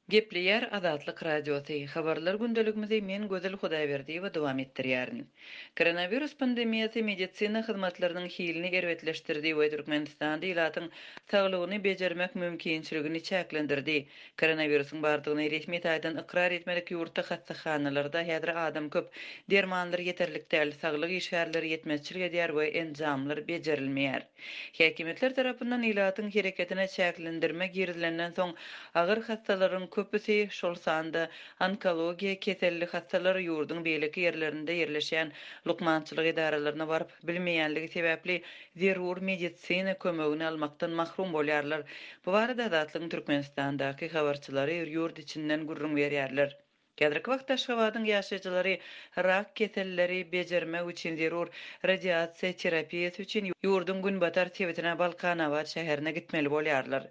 Gepleýär Azatlyk Radiosy, Habarlar gündeligimizi men Gözel Hudaýberdiýewa dowam etdirýärin. Koronawirus pandemiýasy medisina hyzmatlarynyň hilini erbetleşdirdi we Türkmenistanda ilatyň saglygyny bejermek mümkinçiligini çäklendirdi. Koronawirusyň bardygyny resmi taýdan ykrar etmedik ýurtda hassahanalarda häzir adam köp, dermanlar ýeterlik däl, saglyk işgärleri ýetmezçilik edýär we enjamlar bejerilmeýär. Häkimiýetler tarapyndan ilatyň hereketine çäklendirme girizilenden soň, agyr hassalaryň köpüsi, şol sanda onkologiýa keselli hassalar ýurduň beýleki ýerlerinde ýerleşýän lukmançylyk edaralaryna baryp bilmeýänligi sebäpli zerur medisina kömegini almakdan mahrum bolýarlar. Bu barada Azatlygyň Türkmenistandaky habarçylary ýurt içinden gürrüň berýärler. Häzirki wagtda Aşgabadyň ýaşaýjylary rak keselleri bejermek üçin zerur radiasiýa terapiýasy üçin ýurduň günbatar sebitine Balkanabat şäherine gitmeli bolýarlar.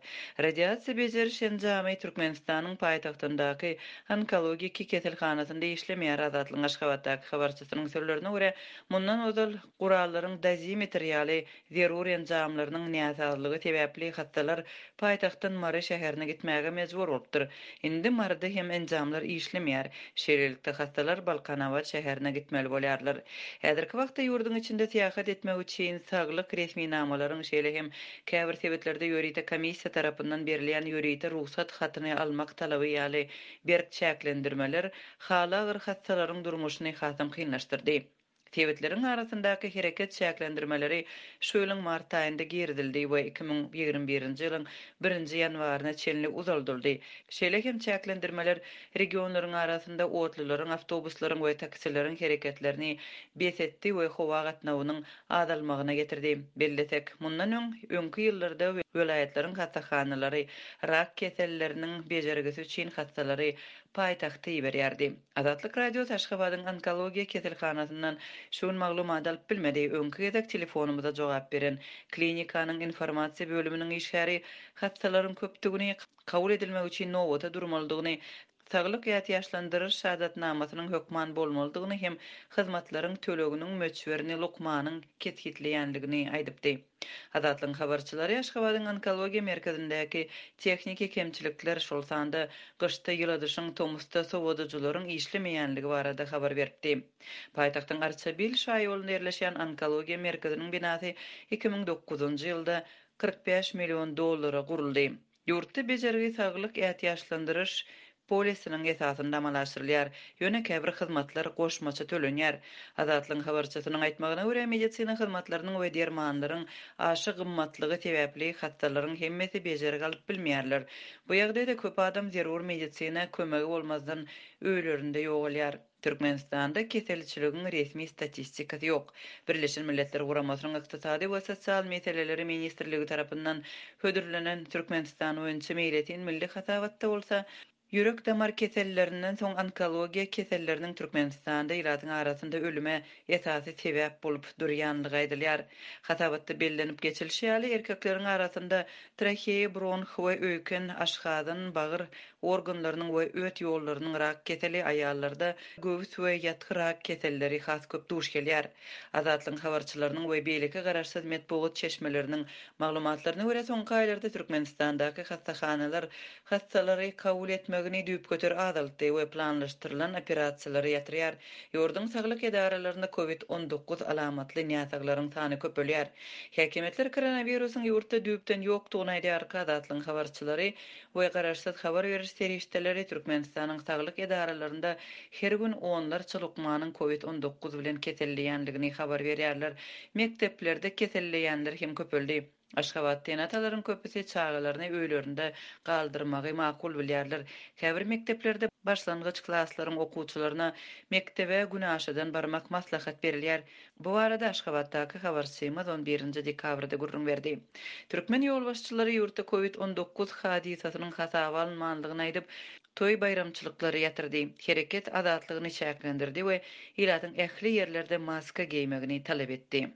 Radiasiýa bejeriş enjamy Türkmenistanyň paýtagtyndaky onkologiki keselhanasynda işlemeýär Azatlygyň Aşgabatdaky habarçysynyň sözlerine görä, mundan ozal gurallaryň dozimetr ýaly Zerur enjamlarynyň näsazlygy sebäpli hassalar paýtagtdan Mary şäherine gitmäge mejbur bolupdyr. Indi Maryda hem enjamlar işlemeýär. Şeýlelikde, hassalar Balkanabat şäherine gitmeli bolýarlar. Häzirki wagtda ýurduň içinde syýahat etmek üçin saglyk resminamalaryň, şeýle hem käbir sebitlerde ýörite komissiýa tarapyndan berilýän ýörite rugsat hatyny almak talaby ýaly berk çäklendirmeler haly agyr hassalaryň durmuşyny hasam kynlaşdyrdy. Sebitleriň arasyndaky hereket çäklendirmeleri şu ýylyň mart aýynda girizildi we 2021-nji ýylyň birinji ýanwaryna çenli uzaldyldy. Şeýle hem çäklendirmeler regionlaryň arasynda otlularyň, awtobuslaryň we taksileriň hereketlerini bes etdi we howa gatnawynyň azalmagyna getirdi. Bellesek, mundan öň, öňki ýyllarda welaýatlaryň hassahanalary rak keselleriniň bejergisi üçin hassalary paýtagta iberýärdi. Azatlyk Radiosy Aşgabadyň Onkologiýa keselhanasyndan şu gün maglumat alyp bilmedi. Öňki gezek telefonymyza jogap beren klinikanyň informasiýa bölüminiň işgäri hassalaryň köpdügini, kabul edilmek üçin nobata durmalydygyny, saglyk ätiýaçlandyryş şahadatnamasynyň hökman bolmalydygyny hem hyzmatlaryň töleginiň möçberini lukmanyň kesgitleýändigini aýdypdy. Azatlygyň habarçylary Aşgabadyň Onkologiýa merkezindäki tehniki kemçilikler, şol sanda gyşda ýyladyşyň, tomusda sowadyjylaryň işlemeýänligi barada habar beripdi. Paýtagtyň Arçabil şaýolunda ýerleşýän Onkologiýa merkeziniň binasy 2009-njy ýylda 45 million dollara guruldy. Ýurtda bejergi saglyk ätiýaçlandyryş polisiniň esasynda amala aşyrylýar, ýöne käbir hyzmatlar goşmaça tölenýär. Azatlygyň habarçysynyň aýtmagyna görä, medisina hyzmatlarynyň we dermanlaryň aşa gymmatlygy sebäpli hassalaryň hemmesi bejergi alyp bilmeýärler. Bu ýagdaýda köp adam zerur medisina kömegi bolmazdan öýlerinde ýogalýar. Türkmenistanda keselçiligiň resmi statistikasy ýok. Birleşen Milletler Guramasynyň Ykdysady we sosial meseleleri ministrligi tarapyndan hödürlenen Türkmenistan boýunça meýletin milli hasabatda bolsa, ýürek-damar kesellerinden soň onkologiýa keselleriniň Türkmenistanda ilatyň arasynda ölüme esasy sebäp bolup durýanlygy aýdylýar. Hasabatda bellenip geçilişi ýaly, erkekleriň arasynda traheýa, bronh we öýken, aşgazan, bagyr organlarynyň we öt ýollarynyň rak keseli, aýallarda göwüs we ýatgy rak keselleri has köp duş gelýär. Azatlygyň habarçylarynyň we beýleki garaşsyz metbugat çeşmeleriniň maglumatlaryna görä, soňky aýlarda Türkmenistandaky hassahanalar hassalary kabul etmegini düýpgöter azaltdy we planlaşdyrylan operasiýalary ýatyrýar. Ýurduň saglyk edaralarynda covid 19 alamatly näsaglaryň sany köpelýär. Häkimiýetler koronawirusyň ýurtda düýpden ýokdugyny aýdýarka, Azatlygyň habarçylary we garaşsyz habar beriş serişdeleri Türkmenistanyň saglyk edaralarynda her gün onlarça lukmanyň covid 19 bilen keselleýändigini habar berýärler. Mekdeplerde keselleýänler hem köpeldi. Aşgabatda ene-atalaryň köpüsi çagalaryny öýlerinde galdyrmagy makul bilýärler. Käbir mekdeplerde başlangyç klaslaryň okuwçylaryna mekdebe günaşadan barmak maslahat berilýär. Bu barada Aşgabatdaky habarçymyz on birinji dekabrda gürrüň berdi. Türkmen ýolbaşçylary ýurtda covid 19 hadysasynyň hasaba alynmandygyny aýdyp, toý-baýramçylyklary ýatyrdy, hereket azatlygyny çäklendirdi we ilatyň ähli ýerlerde maska geýmegini talap etdi.